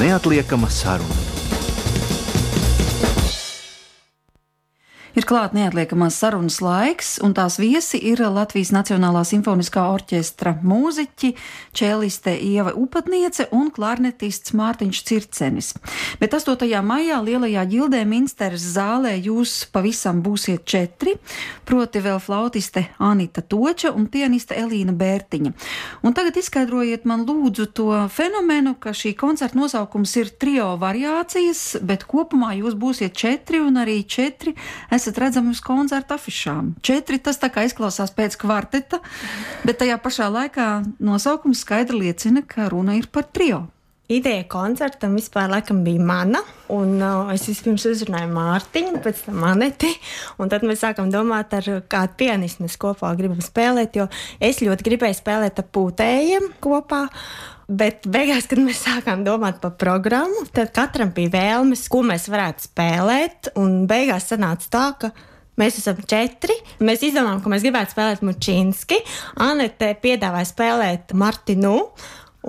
Neatliekama saruna. Ir klāt neatliekamās sarunas laiks, un tās viesi ir Latvijas Nacionālā simfoniskā orķestra mūziķi, čēliste Ieva Upatniece un klarnetists Mārtiņš Circenis. Bet 8. maijā Lielajā ģildē Minsteres zālē jūs pavisam būsiet 4, proti vēl flautiste Anita Toča un pianiste Elīna Bērtiņa. Un tagad izskaidrojiet man lūdzu to fenomenu, ka šī koncerta nosaukums ir trio variācijas, bet kopumā jūs būsiet 4 un arī 4 esat redzami uz koncerta afišām. 4 tas tā kā izklausās pēc kvarteta, bet tajā pašā laikā nosaukums skaidri liecina, ka runa ir par trio. Ideja koncertam vispār laikam bija mana, un es vispirms uzrunāju Mārtiņu, pēc tam Aneti, un tad mēs sākam domāt, ar kādu pianistu mēs kopā gribam spēlēt, jo es ļoti gribēju spēlēt ar pūtējiem kopā. Bet beigās, kad mēs sākām domāt par programmu, tad katram bija vēlmes, ko mēs varētu spēlēt. Un beigās sanāca tā, ka mēs esam 4. Mēs izdomājām, ka mēs gribētu spēlēt Mučinski. Anete piedāvāja spēlēt Martinu,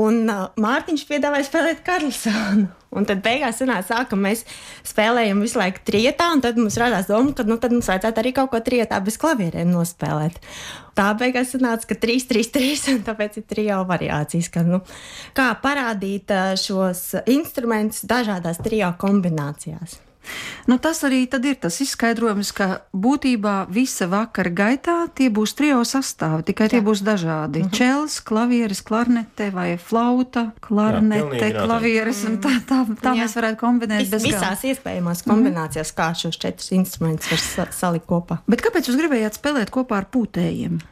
un Mārtiņš piedāvāja spēlēt Karlsonu. Un tad beigās sanāca tā, ka mēs spēlējam visu laiku trietā, un tad mums radās doma, ka tad mums vajadzētu arī kaut ko trietā bez klavierēm nospēlēt. Tā beigās sanāca, ka 3-3-3, un tāpēc ir trio variācijas, ka, kā parādīt šos instrumentus dažādās trio kombinācijās. Tas arī tad ir tas izskaidrojums, ka būtībā visa vakara gaitā tie būs trio sastāvi, tikai tie būs dažādi. Čels, klavieres, klarnete vai flauta, klarnete, klavieres, un tā mēs varētu kombinēt bez gala. Visās iespējamās kombinācijās, kā šos 4 instrumentus var salikt kopā. Bet kāpēc jūs gribējāt spēlēt kopā ar pūtējiem?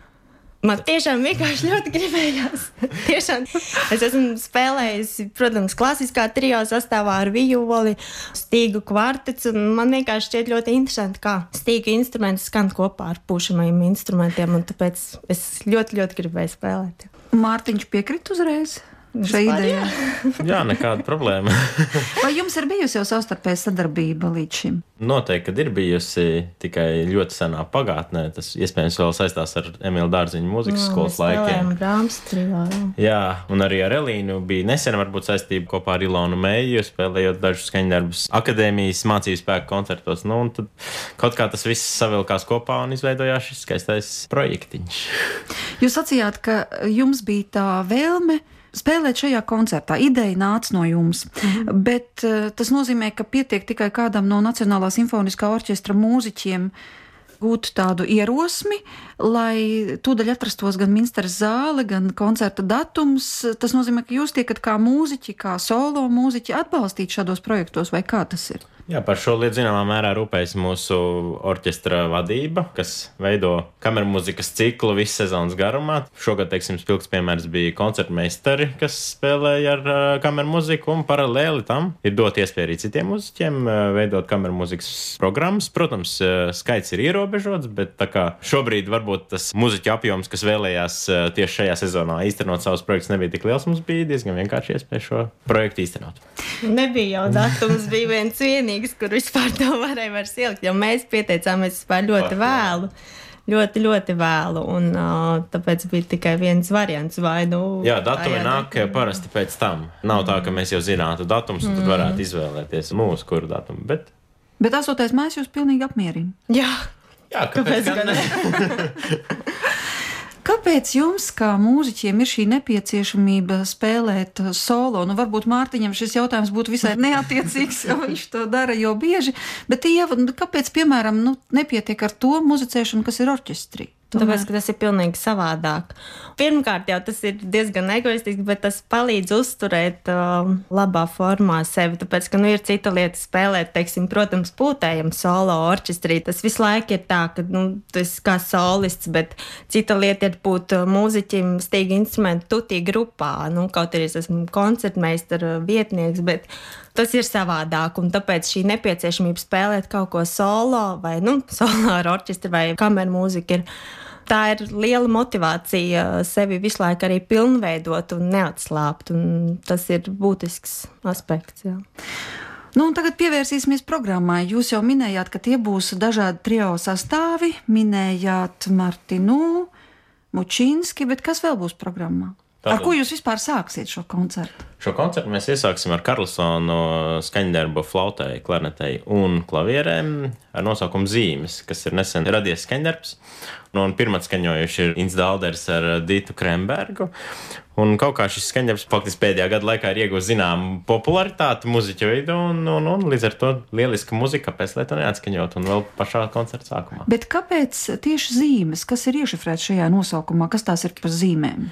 Man tiešām vienkārši ļoti gribējās. Tiešām es esmu spēlējusi, protams, klasiskā trio sastāvā ar violi, stīgu kvartets, un man vienkārši šķiet ļoti interesanti, kā stīgu instrumenti skan kopā ar pušamajiem instrumentiem, un tāpēc es ļoti, ļoti gribēju spēlēt. Mārtiņš piekrit uzreiz šai idejai? Jā, nekāda problēma. Vai jums ir bijusi jau savstarpēja sadarbība līdz šim? Noteikti, kad ir bijusi tikai ļoti senā pagātnē. Tas iespējams vēl saistās ar Emīla Dārziņa mūzikas skolas laikiem. Brāms trio, jā, un arī ar Elīnu bija nesen varbūt saistība kopā ar Ilonu Meiju, spēlējot dažus skaņdarbus akadēmijas mācību spēku koncertos. Un tad kaut kā tas viss savilkās kopā un izveidojās šis skaistais projektiņš. Jūs sacījāt, ka jums bija tā vēlme spēlēt šajā koncertā. Ideja nāca no jums, bet tas nozīmē, ka pietiek tikai kādam no Nacionālā simfoniskā orķestra mūziķiem gūt tādu ierosmi, lai tūdaļ atrastos gan Minsteres zāle, gan koncerta datums. Tas nozīmē, ka jūs tiekat kā mūziķi, kā solo mūziķi atbalstīt šādos projektos, vai kā tas ir? Jā, par šo lietu zināmā mērā rūpējas mūsu orķestra vadība, kas veido kamermūzikas ciklu visu sezonas garumā. Šogad, teiksim, spilgts piemērs bija koncertmeistari, kas spēlēja ar kamermūziku, un paralēli tam ir dot iespēju arī citiem mūziķiem veidot kamermūzikas programmas. Protams, skaits ir ierobežots, bet tā kā šobrīd varbūt tas mūziķu apjoms, kas vēlējās tieši šajā sezonā īstenot savus projektus, nebija tik liels, mums bija diezgan vienkārši iespēja šo projektu īstenot. Nebija jau datums, bija viens vienīgs, kur vispār to varēja vairs ielikt, jo mēs pieteicāmies vispār ļoti vēlu. Ļoti, ļoti vēlu, un tāpēc bija tikai viens variants. Jā, datumi nāk parasti pēc tam. Nav tā, ka mēs jau zinātu datums, un tad varētu izvēlēties mūsu kuru datumu. Bet 8. maijs jūs pilnīgi apmierina? Jā, kāpēc gan ne? Kāpēc jums, kā mūziķiem, ir šī nepieciešamība spēlēt solo? Varbūt Mārtiņam šis jautājums būtu visai neattiecīgs, jo viņš to dara jau bieži, bet Ieva, kāpēc, piemēram, nepietiek ar to muzicēšanu, kas ir orķestrī? Tāpēc, ka tas ir pilnīgi savādāk. Pirmkārt, jau tas ir diezgan egoistiski, bet tas palīdz uzturēt labā formā sevi. Tāpēc, ka ir cita lieta spēlēt, teiksim, protams, pūtējam solo orķestrī. Tas visu laiku ir tā, ka tu esi kā solists, bet cita lieta ir būt mūziķim stīgi instrumentu tutī grupā. Kaut arī es esmu koncertmeistara vietnieks, bet tas ir savādāk, un tāpēc šī nepieciešamība spēlēt kaut ko solo vai solo ar orķestri vai kamermūziku tā ir liela motivācija sevi visu laiku arī pilnveidot un neatslāpt, un tas ir būtisks aspekts. Jā. Un tagad pievērsīsimies programmai. Jūs jau minējāt, ka tie būs dažādi trio sastāvi, minējāt Martinu, Mučinski, bet kas vēl būs programmā? Ar ko jūs vispār sāksiet šo koncertu? Šo koncertu mēs iesāksim ar Karlsonu skaņdarbu flautai, klarnetei un klavierēm ar nosaukumu Zīmes, kas ir nesen radies skaņdarbs. Un pirmā skaņojuši ir Inns Dalders ar Dītu Krembergu. Un kaut kā šis skaņdarbs faktiski pēdējā gada laikā ir ieguvis zināmu popularitāti muziķu vidū, un līdz ar to lieliska muzika, kāpēc lai to neatskaņot, un vēl pašā koncerta sākumā. Bet kāpēc tieši zīmes? Kas ir iešifrēts šajā nosaukumā? Kas tās ir par zīmēm?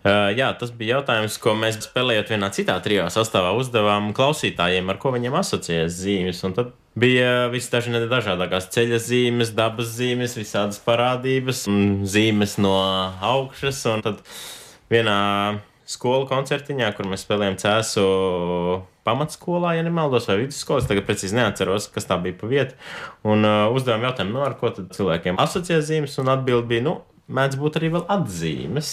Jā, tas bija jautājums, ko mēs spēlējot vienā citā trijā sastāvā uzdevām klausītājiem, ar ko viņiem asociējas zīmes. Un tad bija visdažādākās ceļa zīmes, dabas zīmes, visādas parādības, zīmes no augšas. Un tad vienā skolu koncertiņā, kur mēs spēlējām Cēsu pamatskolā, ja nemaldos, vai vidusskolas, tagad precīzi neatceros, kas tā bija pa vietu. Un uzdevām jautājumu, ar ko tad cilvēkiem asociē zīmes, un atbildi bija, mēdz būt arī vēl atzīmes.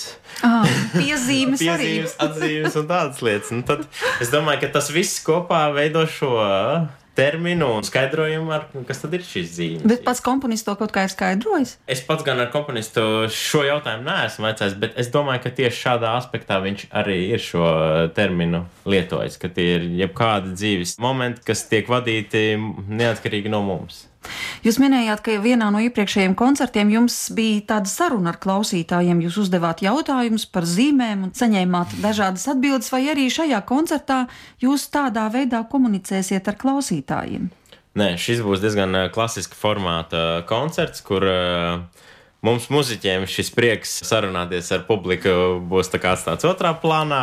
Piezīmes arī. Piezīmes, atzīmes un tādas lietas. Un tad es domāju, ka tas viss kopā veido šo terminu un skaidrojumu, kas tad ir šīs zīmes. Bet pats komponists to kaut kā ir skaidrojis? Es pats gan ar komponistu šo jautājumu neesmu vaicājis, bet es domāju, ka tieši šādā aspektā viņš arī ir šo terminu lietojis, ka tie ir jebkādi dzīves momenti, kas tiek vadīti neatkarīgi no mums. Jūs minējāt, ka vienā no iepriekšējiem koncertiem jums bija tāda saruna ar klausītājiem. Jūs uzdevāt jautājumus par zīmēm un saņēmāt dažādas atbildes, vai arī šajā koncertā jūs tādā veidā komunicēsiet ar klausītājiem? Nē, šis būs diezgan klasiska formāta koncerts, kur mums muziķiem šis prieks sarunāties ar publiku būs tā kā atstāts otrā plānā,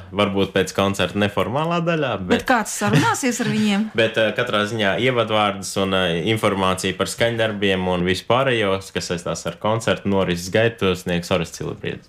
varbūt pēc koncerta neformālā daļā. Bet kāds sarunāsies ar viņiem? Bet katrā ziņā ievadvārdus un informāciju par skaņdarbiem un vispārējos, kas saistās ar koncertu norises gaitu, sniegs Orests Cilibriedis.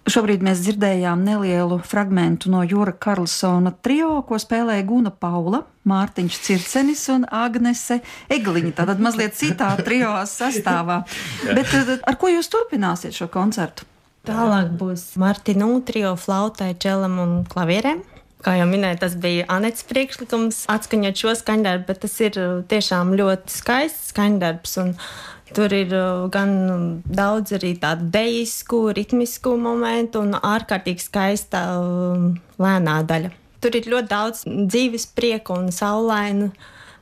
Šobrīd mēs dzirdējām nelielu fragmentu no Jura Karlsona trio, ko spēlēja Guna Paula, Mārtiņš Circenis un Agnese Egliņa. Tātad mazliet citā trio sastāvā. Bet ar ko jūs turpināsiet šo koncertu? Tālāk būs Martinu trio flautai, čelam un klavierēm. Kā jau minēju, tas bija Anetes priekšlikums atskaņot šo skaņdarbu, bet tas ir tiešām ļoti skaists skaņdarbs. Tur ir gan daudz arī tādu dejisku, ritmisku momentu un ārkārtīgi skaista lēnā daļa. Tur ir ļoti daudz dzīves prieka un saulainu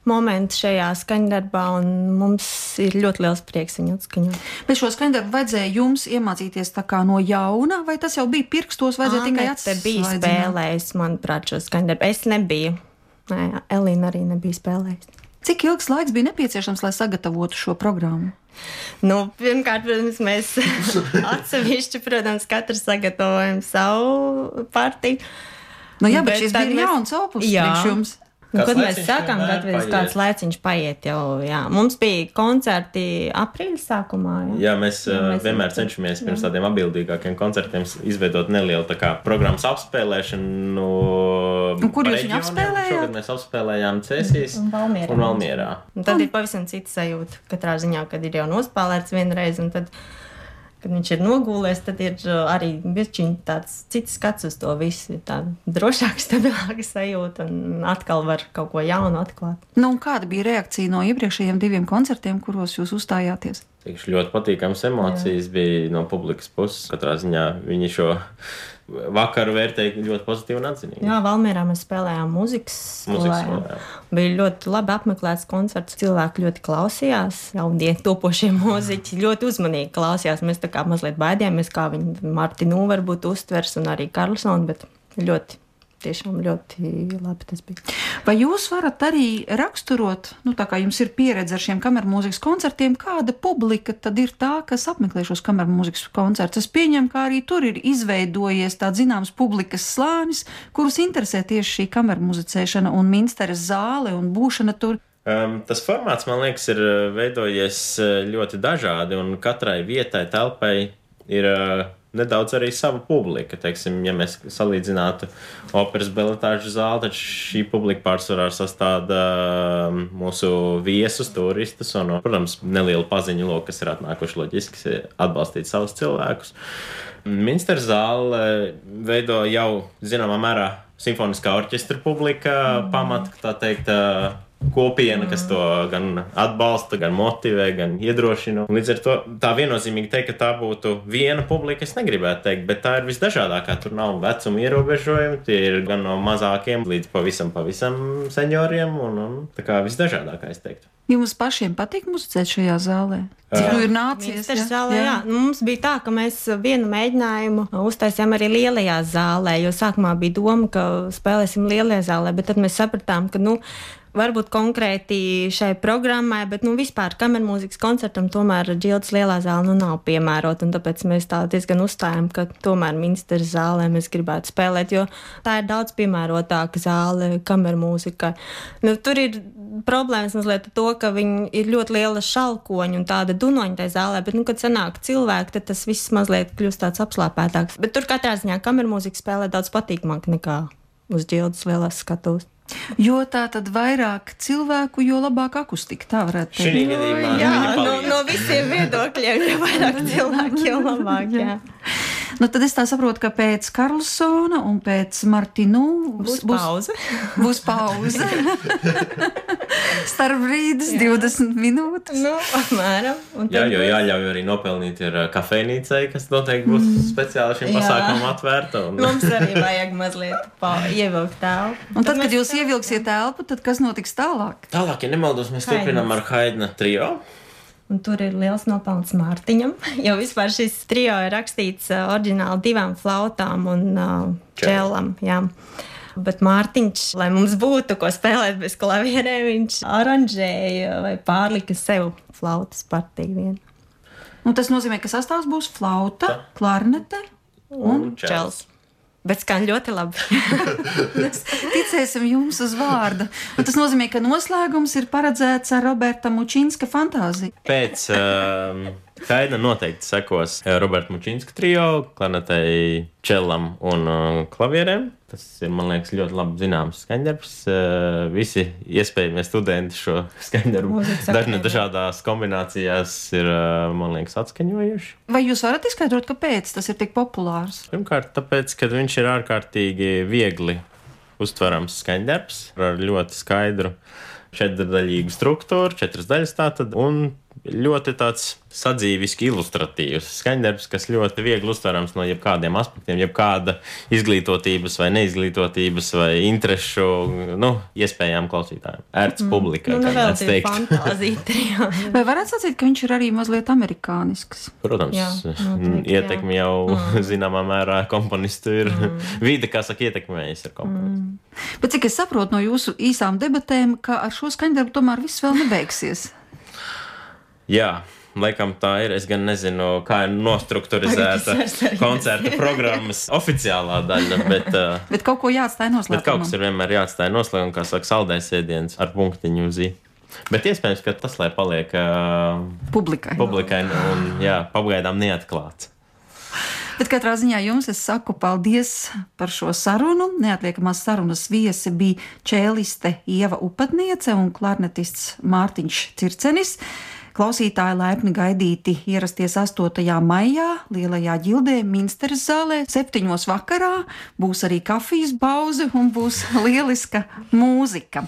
momentu šajā skaņdarbā, un mums ir ļoti liels prieks viņu atskaņot. Bet šo skaņdarbu vajadzēja jums iemācīties tā kā no jauna, vai tas jau bija pirkstos, vajadzēja tikai Anete bija spēlējusi, manuprāt, šo skaņdarbu. Es nebiju. Nē, Elīna arī nebija spēlējusi. Cik ilgs laiks bija nepieciešams, lai sagatavotu šo programmu? Pirmkārt, protams, mēs atsevišķi, katrs sagatavojam savu partiju. Jā, bet šis bija jauns opus priekš jums. Kad mēs sākām gatavoties, kāds laiciņš paiet jau, jā. Mums bija koncerti aprīļa sākumā, jā. Jā, mēs vienmēr cenšamies pirms tādiem atbildīgākiem koncertiem izveidot nelielu tā kā programmas apspēlēšanu. Un kur jūs viņu apspēlējāt? Šogad mēs apspēlējām Cēsīs un Valmierā. Un tad ir pavisam cita sajūta, katrā ziņā, kad ir jau nospēlēts vienreiz, un tad, kad viņš ir nogūlēs, tad ir arī bišķiņ tāds cits skats uz to visu, tā drošāka, stabilāka sajūta, un atkal var kaut ko jaunu atklāt. Un kāda bija reakcija no iepriekšējiem 2 koncertiem, kuros jūs uzstājāties? Ļoti patīkams emocijas bija no publikas puses. Katrā ziņā viņi šo vakaru vērtēja ļoti pozitīvi un atzinīgi. Jā, Valmierā mēs spēlējām mūzikas skolā. Bija ļoti labi apmeklēts koncerts. Cilvēki ļoti klausījās, jaudie topošie mūziķi ļoti uzmanīgi klausījās. Mēs tā kā mazliet baidījāmies, kā viņi Martinu varbūt uztvers un arī Karlsonu, bet tiešām ļoti labi tas bija. Vai jūs varat arī raksturot, tā kā jums ir pieredze ar šiem kamermūzikas koncertiem, kāda publika tad ir tā, kas apmeklē šos kamermūzikas koncertus? Es pieņemu, ka arī tur ir izveidojies tāds zināms publikas slānis, kurus interesē tieši šī kamermuzicēšana un Minsteres zāle un būšana tur. Tas formāts, man liekas, ir veidojies ļoti dažādi, un katrai vietai, telpai ir nedaudz arī sava publika. Teiksim, ja mēs salīdzinātu operas baletāžu zāli, tad šī publika pārsvarā sastāda mūsu viesus, turistus un, protams, nelielu paziņu loku, kas ir atnākuši loģiski atbalstīt savus cilvēkus. Minsteres zāle veido jau zināmā mērā simfoniskā orķestra publika, pamata, tā teikt, kopiena, kas to gan atbalsta, gan motivē, gan iedrošina. Līdz ar to tā viennozīmīgi teikt, ka tā būtu viena publika, es negribētu teikt, bet tā ir visdažādākā. Tur nav vecuma ierobežojumi, tie ir gan no mazākiem līdz pavisam senioriem un tā kā visdažādākā, es teiktu. Jums pašiem patīk muzicēt šajā zālē? Cik ir nācies? Jā. Mums bija tā, ka mēs vienu mēģinājumu uztaisījām arī lielajā zālē, jo sākumā bija doma, ka spēlēsim lielajā zālē, bet tad mēs sapratām, ka, varbūt konkrēti šai programmai, bet vispār kamermūzikas koncertam tomēr Džildas lielā zāle nav piemērota, un tāpēc mēs tā diezgan uzstājam, ka tomēr Minsteres zālē mēs gribētu spēlēt, jo tā ir daudz piemērotāka zāle kamermūzikai. Tur ir problēmas mazliet to, ka viņi ir ļoti liela šalkoņa un tāda dunoņa tajā zālē, bet, kad sanāk cilvēki, tad tas viss mazliet kļūst tāds apslāpētāks. Bet tur katrā ziņā kamermūzika spēlē daudz patīkamāk nekā uz Džildas lielās skatuves. Jo tā tad vairāk cilvēku, jo labāk akustika, tā varētu teikt. Šī gadījumā no visiem viedokļiem, jo vairāk cilvēku, jo labāk, jā. Tad es tā saprotu, ka pēc Karlsona un pēc Martinu būs pauze. Būs pauze. Starp brīdis 20 minūtes. Apmēram. Jā, jo jāļauj arī nopelnīt ir kafejnīcai, kas noteikti būs speciāli šim pasākumam atvērta. Mums arī vajag mazliet ievilkt telpu. Un tad, kad jūs ievilksiet telpu, tad kas notiks tālāk? Tālāk, ja nemaldos, mēs turpinām ar Haidna trio. Un tur ir liels nopelns Mārtiņam, jo vispār šis trio ir rakstīts oriģināli 2 flautām un čelam. Jā. Bet Mārtiņš, lai mums būtu ko spēlēt bez klavierēm, viņš aranžēja vai pārlika sev flautas partiju vienu. Un tas nozīmē, ka sastāvs būs flauta, klarnete un čels. Bet skan ļoti labi. Ticēsim jums uz vārda. Un tas nozīmē, ka noslēgums ir paredzēts ar Roberta Mučinska fantāziju. Pēc Kaina noteikti sekos Roberta Mučinska trio, klarnetei, čellam un klavierēm. Tas ir, man liekas, ļoti labi zināms skaņdarbs. Visi iespējamie studenti šo skaņdarbu dažādās kombinācijās ir, man liekas, atskaņojuši. Vai jūs varat izskaidrot, kāpēc tas ir tik populārs? Pirmkārt, tāpēc, ka viņš ir ārkārtīgi viegli uztverams skaņdarbs ar ļoti skaidru četrdaļīgu struktūru, 4 daļas tātad, un ļoti tāds sadzīviski ilustratīvs skaņdarbs, kas ļoti viegli uztverams no jebkādiem aspektiem, jebkāda izglītotības vai neizglītotības vai interešu, iespējām klausītājiem. Ērts publikai, kā mēs teikt. Fantāzija. Vai varētu sacīt, ka viņš ir arī mazliet amerikānisks? Protams, ietekmi jau zināmā mērā komponistu ir vide, kā saka, ietekmējas ar komponistu. Bet cik es saprotu no jūsu īsām debatēm, ka ar šo skaņdarbu tomēr viss vēl nebeigsies? Jā, laikam tā ir. Es gan nezinu, kā ir nostrukturizēta koncerta programmas oficiālā daļa, bet kaut ko jāatstāj noslēgumam. Bet kaut kas ir vienmēr jāatstāj noslēgumam, kā saka, saldais ēdiens ar punktiņu uz i. Bet iespējams, ka tas, lai paliek publikai un pagaidām neatklāts. Bet katrā ziņā jums es saku paldies par šo sarunu. Neatliekamās sarunas viesi bija čēliste Ieva Upatniece un klarnetists Mārtiņš Circenis. Klausītāji laipni gaidīti ierasties 8. maijā Lielajā ģildē Minsteres zālē 7. vakarā. Būs arī kafijas pauze un būs lieliska mūzika.